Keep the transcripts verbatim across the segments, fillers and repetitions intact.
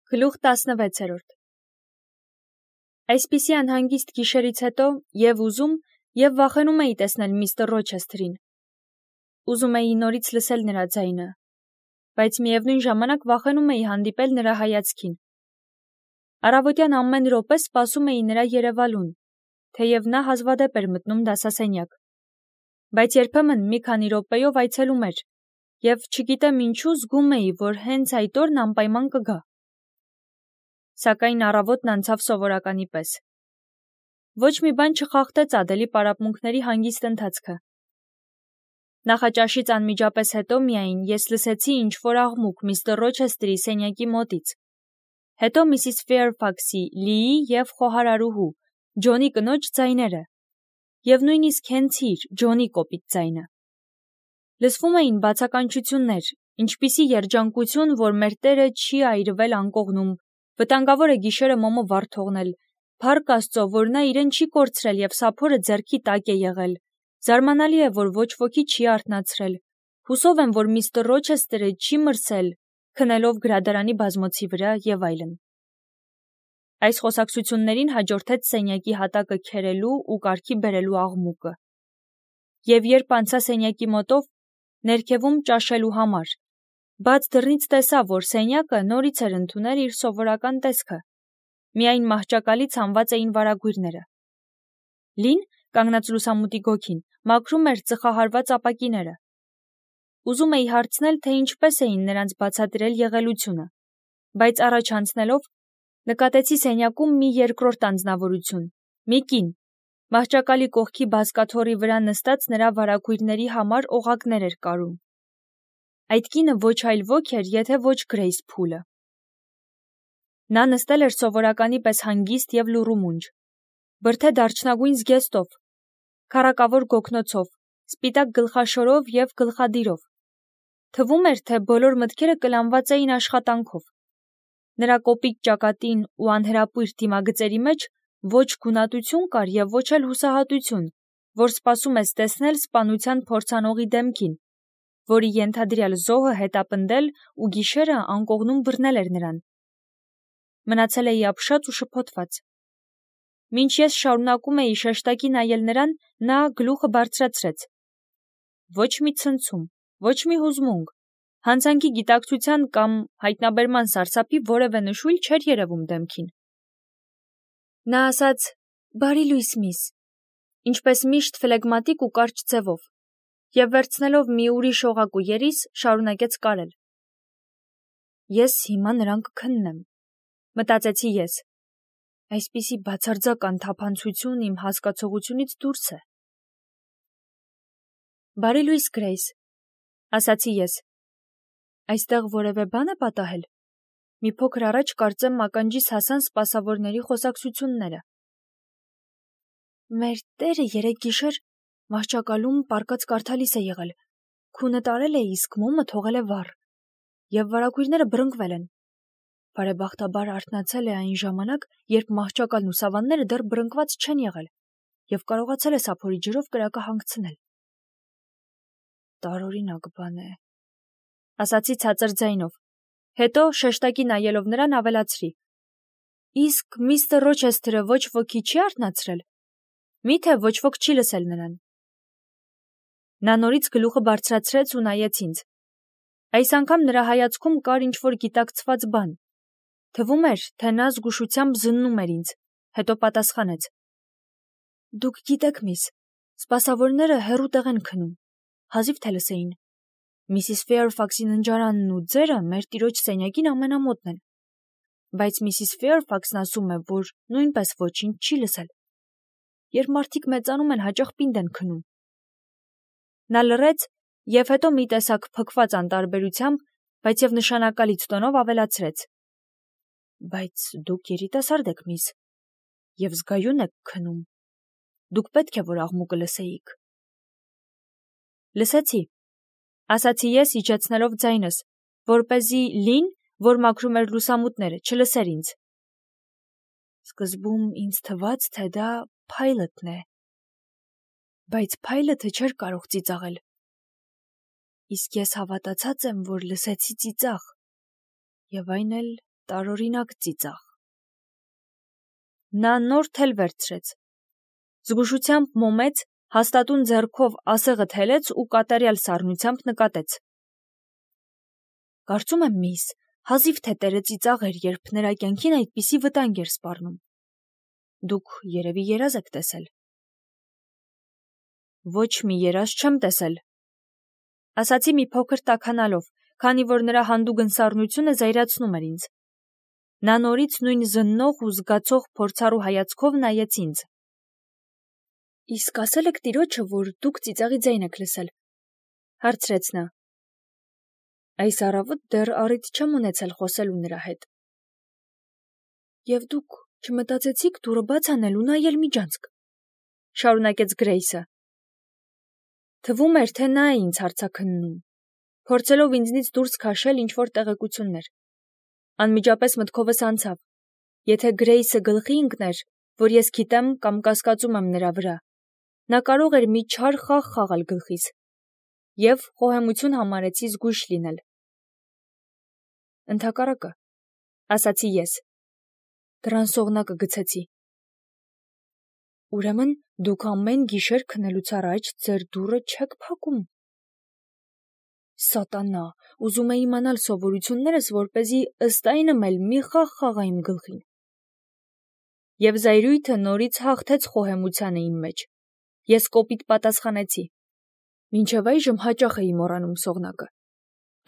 Գլուխ տասնվեցերորդ Այսպիսի անհանգիստ գիշերից հետո և ուզում, և վախենում էի տեսնել միստր Ռոչեսթերին։ Ուզում էի նորից լսել նրա ձայնը, բայց միևնույն ժամանակ վախենում էի հանդիպել նրա հայացքին։ Առավոտյան ամեն րոպե սպասում էի նրա երևալուն, թեև նա հազվադեպ էր մտնում դասասենյակ, բայց երբեմն մի քանի րոպեով այցելում էր, և չգիտեմ ինչու զգում էի, որ հենց այդ օրն անպայման կգա։ Սակայն առավոտն անցավ սովորականի պես։ Ոչ մի բան չխախտեց Ադելի պարապմունքների հանգիստ ընթացքը։ Նախաճաշից անմիջապես հետո միայն ես լսեցի ինչ-որ աղմուկ միստր Ռոչեսթերի սենյակի մոտից։ Հետո միսիս Ֆեյրֆաքսի, Լիի և խոհարարուհու, Ջոնի կնոջ ձայները, և նույնիսկ հենց իր, Ջոնի կոպիտ ձայնը։ Լսվում էին բացականչություններ, ինչպիսի երջանկություն, որ մեր Տերը չի այրվել անկողնում, վտանգավոր է գիշերը մոմը վառ թողնել, փառք Աստծո, որ նա իրեն չի կորցրել և սափորը ձեռքի տակ է եղել, զարմանալի է, որ ոչ ոքի չի արթնացրել, հուսով եմ, որ միստր Ռոչեսթերը չի մրսել, քնելով գրադարանի բազմոցի վրա և այլն։ Այս խոսակցություններին հաջորդեց սենյակի հատակը քերելու ու կարգի բերելու աղմուկը։ Եվ երբ անցա սենյակի մոտով, ներքևում ճաշելու համար, բաց դռնից տեսա, որ սենյակը նորից էր ընդունել իր սովորական տեսքը, միայն մահճակալի ցանված էին վարագույրները։ Լին, կանգնած լուսամուտի գոգին, մաքրում էր ծխահարված ապակիները։ Ուզում էի հարցնել, թե ինչպես էին նրանց բացատրել եղելությունը, բայց առաջ անցնելով, նկատեցի սենյակում մի երկրորդ անձնավորություն, մի կին, մահճակալի կողքի բազկաթոռի վրա նստած նրա վարագույրների համար օղակներ էր կարում։ Այդ կինը ոչ այլ ոք էր, եթե ոչ Գրեյս Փուլը։ Նա նստել էր սովորականի պես հանգիստ և լուռումունջ, բրդե դարչնագույն զգեստով, քառակավոր գոգնոցով, սպիտակ գլխաշորով և գլխադիրով։ Թվում էր, թե բոլոր մտքերը կլանված էին աշխատանքով։ Նրա կոպիտ ճակատին ու անհրապույր դիմագծերի մեջ ոչ գունատություն կար և ոչ էլ հուսահատություն, որ սպասում ես տեսնել սպանության փորձանողի դեմքին, որի ենթադրյալ զոհը հետապնդել ու գիշերը անկողնում բռնել էր նրան։ Մնացել էի ապշած ու շփոթված։ Մինչ ես շարունակում էի շեշտակի նայել նրան, նա գլուխը բարձրացրեց։ Ոչ մի ցնցում, ոչ մի հուզմունք, հանցանքի գիտակցության կամ հայտնաբերման սարսափի որևէ նշույլ չէր երևում դեմքին։ Նա ասաց. «Բարի լույս, միս», ինչպես միշտ ֆլեգմատիկ ու կարճ ձևով, և վերցնելով մի ուրիշ օղակ ու երիս, շարունակեց կարել։ Ես հիմա նրան կքննեմ, մտածեցի ես։ Այսպիսի բացարձակ անթափանցություն իմ հասկացողությունից դուրս է։ Բարի լույս, Գրեյս, ասացի ես։ Այստեղ որևէ բան է պատահել։ Մի փոքր առաջ կարծեմ ականջիս հասան սպասավորների խոսակցությունները։ Մեր Տերը երեկ գիշեր մահճակալում պառկած կարդալիս է եղել, քունը տարել է, իսկ մոմը թողել է վառ, և վարագույրները բռնկվել են։ Բարեբախտաբար արթնացել է այն ժամանակ, երբ մահճակալն ու սավանները դեռ բռնկված չեն եղել, և կարողացել է սափորի ջրով կրակը հանգցնել։ Տարօրինակ բան է, ասացի ցածր ձայնով, հետո շեշտակի նայելով նրան ավելացրի. Իսկ միստր Ռոչեսթերը ոչ ոքի չի արթնացրել։ Միթե ոչ ոք չի լսել նրան։ Նա նորից գլուխը բարձրացրեց ու նայեց ինձ։ Այս անգամ նրա հայացքում կար ինչ-որ գիտակցված բան։ Թվում էր, թե նա զգուշությամբ զննում էր ինձ, հետո պատասխանեց. Դուք գիտեք, միս, սպասավորները հեռու տեղ են քնում, հազիվ թե լսեին։ Միսիս Ֆեյրֆաքսի ննջարանն ու ձերը մեր տիրոջ սենյակին ամենամոտն են, բայց միսիս Ֆեյրֆաքսն ասում է, որ նույնպես ոչինչ չի լսել։ Երբ մարդիկ մեծանում են, հաճախ պինդ են քնում։ Նա լռեց և հետո մի տեսակ փքված անտարբերությամբ, բայց և նշանակալից տոնով ավելացրեց. Բայց դուք երիտասարդ եք, միս, և զգայուն եք քնում։ Դուք պետք է, որ աղմուկը լսեիք։ Լսեցի, ասացի ես, իջեցնելով ձայնս, որպեսզի Լին, որ մաքրում էր լուսամուտները, չլսեր ինձ։ Սկզբում ինձ թվաց, թե դա Փայլըթն է, բայց Փայլըթը չէր կարող ծիծաղել։ Իսկ ես հավատացած եմ, որ լսեցի ծիծաղ, և այն էլ տարօրինակ ծիծաղ։ Նա նոր թել վերցրեց։ Զգուշությամբ մոմեց, հաստատուն ձեռքով ասեղը թելեց ու կատարյալ սառնությամբ նկատեց։ Կարծում եմ, միս, հազիվ թե տերը ծիծաղ էր, երբ նրա կյանքին այդպիսի վտանգ էր սպառնում։ Դուք երևի երազ եք տեսել։ Ոչ մի երազ չեմ տեսել, ասացի մի փոքր տաքանալով, քանի որ նրա հանդուգն սառնությունը զայրացնում էր ինձ։ Նա նորից նույն զննող ու զգացող փորձառու հայացքով նայեց ինձ։ Իսկ ասել եք տիրոջը, որ դուք ծիծաղի ձայն եք լսել, հարցրեց նա։ Այս առավոտ դեռ առիթ չեմ ունեցել խոսելու նրա հետ։ Եվ դուք չմտածեցիք դուռը բաց անել ու նայել միջանցք, շարունակեց Գրեյսը։ Թվում էր, թե նա է ինձ հարցաքննում, փորձելով ինձնից դուրս քաշել ինչ-որ տեղեկություններ։ Անմիջապես մտքովս անցավ. եթե Գրեյսը գլխի ընկներ, որ ես գիտեմ կամ կասկածում եմ նրա վրա, նա կարող էր մի չար խաղ խաղալ գլխիս, և խոհեմություն համարեցի զգույշ լինել։ Ընդհակառակը, ասացի ես, դռան սողնակը գցեցի։ Ուրեմն դուք ամեն գիշեր քնելուց առաջ ձեր դուռը չեք փակում։ Սատանա, ուզում է իմանալ սովորություններս, որպեսզի ըստ այնմ էլ մի խաղ խաղա իմ գլխին։ Եվ զայրույթը նորից հաղթեց խոհեմությանը իմ մեջ։ Ես կոպիտ պատասխանեցի. Մինչև այժմ հաճախ էի մոռանում սողնակը։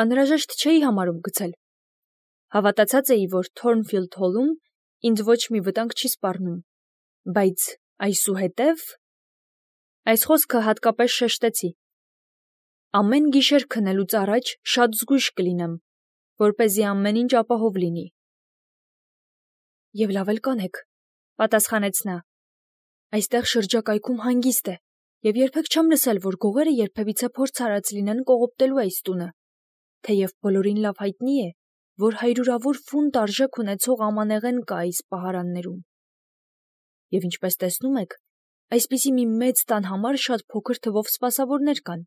Անհրաժեշտ չէի համարում գցել։ Հավատացած էի, որ Թորնֆիլդ Հոլում ինձ ոչ մի վտանգ չի սպառնում, բայց այսուհետև… Այս խոսքը հատկապես շեշտեցի։ Ամեն գիշեր քնելուց առաջ շատ զգույշ կլինեմ, որպեսզի ամեն ինչ ապահով լինի։ Եվ լավ էլ կանեք, պատասխանեց նա։ Այստեղ շրջակայքում հանգիստ է, և երբեք չեմ լսել, որ գողերը երբևիցե փորձ արած լինեն կողոպտելու այս տունը, թեև բոլորին լավ հայտնի է, որ հայրուրավոր ֆունտ արժեք ունեցող ամանեղեն կա այս պահարաններում։ Եվ ինչպես տեսնում եք, այսպիսի մի մեծ տան համար շատ փոքր թվով սպասավորներ կան,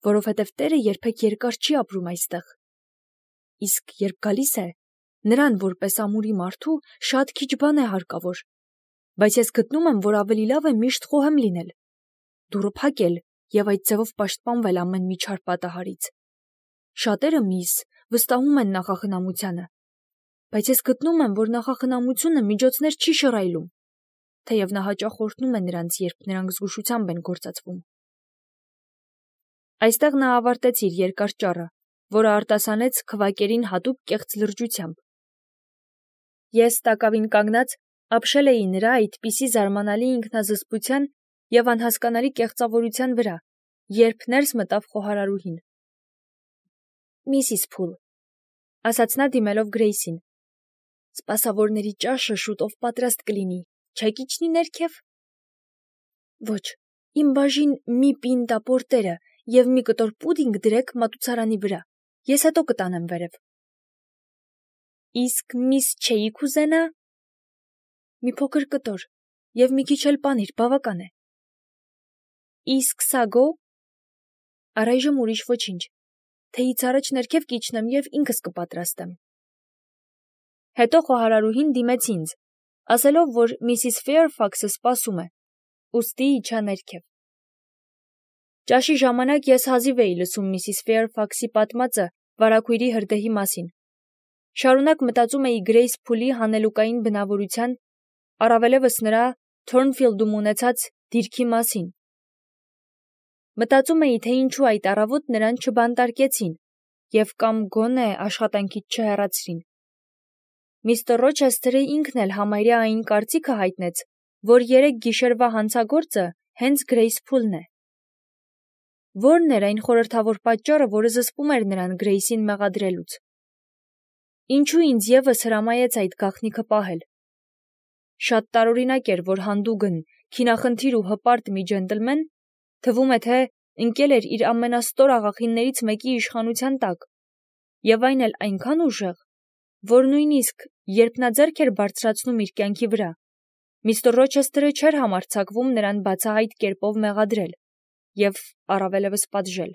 որովհետև տերը երբեք երկար չի ապրում այստեղ։ Իսկ երբ գալիս է, նրան որպես ամուրի մարդու շատ քիչ բան է հարկավոր, բայց ես գտնում եմ, որ ավելի լավ է միշտ խոհեմ լինել, դուռը փակել և այդ ձևով պաշտպանվել ամեն մի չար պատահարից։ Շատերը, միս, վստահում են նախախնամությանը, բայց ես գտնում եմ, որ նախախնամությունը միջոցներ չի շռայլում, թեև նա հաճախ օրհնում է նրանց, երբ նրանք զգուշությամբ են գործածվում։ Այստեղ նա ավարտեց իր երկար ճառը, որը արտասանեց քվակերին հատուկ կեղծ լրջությամբ։ Ես տակավին կանգնած ապշել էի նրա այդպիսի զարմանալի ինքնազսպության և անհասկանալի կեղծավորության վրա, երբ ներս մտավ խոհարարուհին։ Միսիս Փուլ, ասաց նա դիմելով Գրեյսին, սպասավորների ճաշը շուտով պատրաստ կլինի, չեք իջնի ներքև։ Ոչ, իմ բաժին մի պինտա պորտերը և մի կտոր պուդինգ դրեք մատուցարանի վրա, ես հետո կտանեմ վերև։ Իսկ միս չէիք ուզենա։ Մի փոքր կտոր և մի քիչ էլ պանիր, բավական է։ Իսկ սագո։ Առայժմ ուրիշ ոչինչ, թեյից առաջ ներքև կիջնեմ և ինքս կպատրաստեմ։ Հետո խոհարարուհին դիմեց ինձ, ասելով, որ միսիս Ֆեյրֆաքսը սպասում է, ուստի իջա ներքև։ Ճաշի ժամանակ ես հազիվ էի լսում միսիս Ֆեյրֆաքսի պատմածը վարագույրի հրդեհի մասին։ Շարունակ մտածում էի Գրեյս Փուլի հանելուկային բնավորության, առավելևս նրա Թորնֆիլդում ունեցած դիրքի մասին։ Մտածում էի, թե ինչու այդ առավոտ նրան չբանտարկեցին և կամ գոնե աշխատանքից չհեռացրին։ Միստր Ռոչեսթերը ինքն էլ համարյա այն կարծիքը հայտնեց, որ երեք գիշերվա հանցագործը հենց Գրեյս Փուլն է։ Ո՞րն էր այն խորհրդավոր պատճառը, որը զսպում էր նրան Գրեյսին մեղադրելուց։ Ինչու ինձ ևս հրամայեց այդ գաղտնիքը պահել։ Շատ տարօրինակ էր, որ հանդուգն, քինախնդիր ու հպարտ մի ջենտլմեն, թվում է, թե ընկել էր իր ամենաստոր աղախիններից մեկի իշխանության տակ, և այն էլ այնքան ուժեղ, որ նույնիսկ, երբ նա ձեռք էր բարձրացնում իր կյանքի վրա, միստր Ռոչեսթերը չէր համարձակվում նրան բացահայտ կերպով մեղադրել և առավելևս պատժել։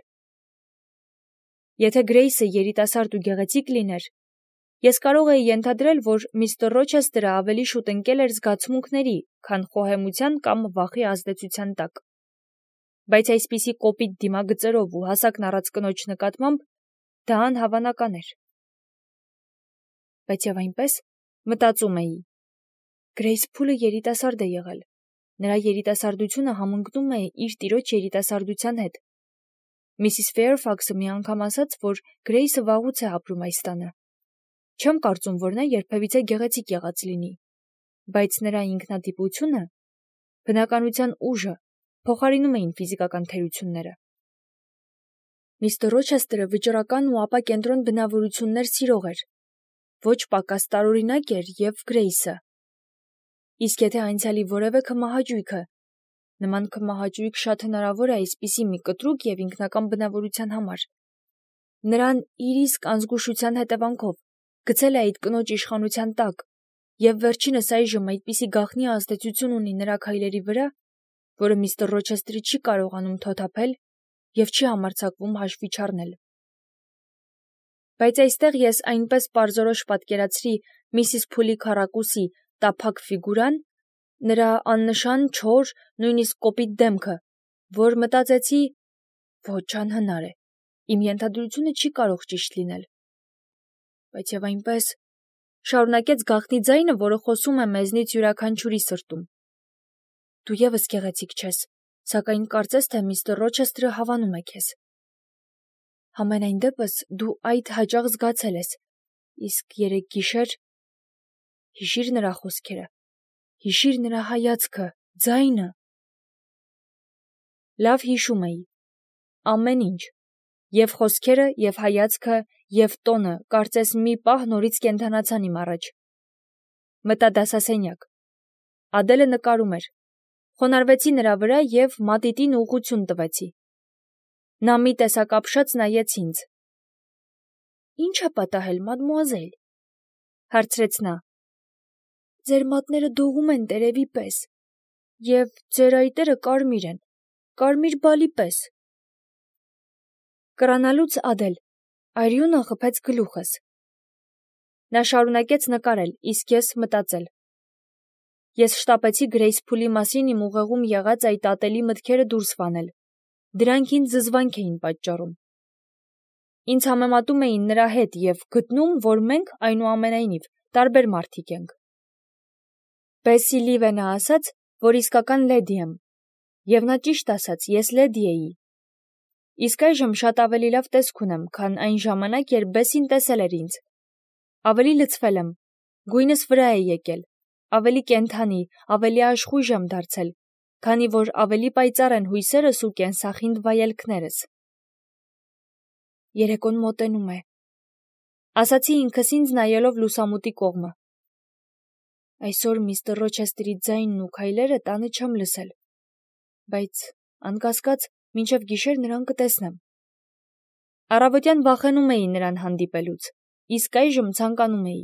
Եթե Գրեյսը երիտասարդ ու գեղեցիկ լիներ, Ես կարող էի ենթադրել, որ միստր Ռոչեսթերը ավելի շուտ ընկել էր զգացմունքների, քան խոհեմության կամ վախի ազդեցության տակ։ Բայց այսպիսի կոպիտ դիմագծերով ու հասակն առած կնոջ նկատմամբ դա անհավանական էր։ Բայց եւ այնպես մտածում էի. Գրեյս Փուլը երիտասարդ է եղել։ Նրա երիտասարդությունը համընկնում է իր տիրոջ երիտասարդության հետ։ Միսիս Ֆեյրֆաքսը մի անգամ ասաց, որ Գրեյսը վաղուց է ապրում այս տանը։ Չեմ կարծում, որ նա երբևիցե գեղեցիկ եղած լինի, բայց նրա ինքնատիպությունը, բնականության ուժը փոխարինում էին ֆիզիկական թերությունները։ Միստր Ռոչեսթերը վճռական ու ապակենտրոն բնավորություններ սիրող էր, ոչ պակաս տարօրինակ էր եւ Գրեյսը։ Իսկ եթե անցյալի որևէ քմահաճույքը, նման քմահաճույք շատ հնարավոր է այսպիսի մի կտրուկ եւ ինքնական բնավորության համար, նրան իր իսկ անզգուշության հետևանքով գցել է այդ կնոջ իշխանության տակ եւ վերջինս այժմ այդպիսի գաղտնի ազդեցություն ունի նրա քայլերի վրա, որը միստր Ռոչեսթերը չի կարողանում թոթափել եւ չի համարձակվում հաշվի չառնել։ Բայց այստեղ ես այնպես պարզորոշ պատկերացրի միսիս Փուլի քառակուսի տափակ ֆիգուրան, նրա աննշան, չոր, նույնիսկ կոպիտ դեմքը, որ մտածեցի, ոչ անհնար է, իմ ենթադրությունը չի կարող ճիշտ լինել։ Բայց եւ այնպես շարունակեց գաղտնի ձայնը, որը խոսում է մեզնից յուրաքանչյուրի սրտում. Դու եւս գեղեցիկ չես, սակայն կարծես թե միստր Ռոչեսթերը հավանում է քեզ։ Համենայն դեպս դու այդ հաճախ զգացել ես, իսկ երեկ գիշեր հիշիր նրա խոսքերը, հիշիր նրա հայացքը, ձայնը։ Լավ հիշում էի ամեն ինչ, եւ խոսքերը, եւ հայացքը, եւ տոնը, կարծես մի պահ նորից կենդանացան իմ առաջ։ Մտա դասասենյակ։ Ադելը նկարում էր։ Խոնարհվեցի նրա վրա եւ մատիտին ուղղություն տվեցի։ Նա մի տեսակ ապշած նայեց ինձ։ Ինչ է պատահել, մադմուազել, հարցրեց նա։ Ձեր մատները դողում են տերևի պես, եւ ձեր այտերը կարմիր են, կարմիր բալի պես։ Կռանալուց Ադել, արյունը խփեց գլուխս։ Նա շարունակեց նկարել, իսկ ես մտածել։ Ես շտապեցի Գրեյս Փուլի մասին իմ ուղեղում եղած այդ ատելի մտքերը դուրս վանել։ Դրանք ինձ զզվանք էին պատճառում։ Ինձ համեմատում էին նրա հետ եւ գտնում, որ մենք այնուամենայնիվ տարբեր մարդիկ ենք։ Բեսսի Լիվենը ասաց, որ իսկական լեդի եմ, եւ նա ճիշտ ասաց, ես լեդի էի։ Իսկ այժմ շատ ավելի լավ տեսք ունեմ, քան այն ժամանակ, երբ Բեսսին տեսել էր ինձ։ Ավելի լցվել եմ, գույնս վրա է եկել, ավելի կենդանի, ավելի աշխույժ եմ դարձել, քանի որ ավելի պայծառ են հույսերս ու կենսախինդ վայելքներս։ Երեկոն մոտենում է, ասացի ինքս ինձ նայելով լուսամուտի կողմը։ Այսօր միստր Ռոչեսթերի ձայնն ու քայլերը տանը չեմ լսել, բայց անկասկած մինչև գիշեր նրան կտեսնեմ։ Առավոտյան վախենում էի նրան հանդիպելուց, իսկ այժմ ցանկանում էի։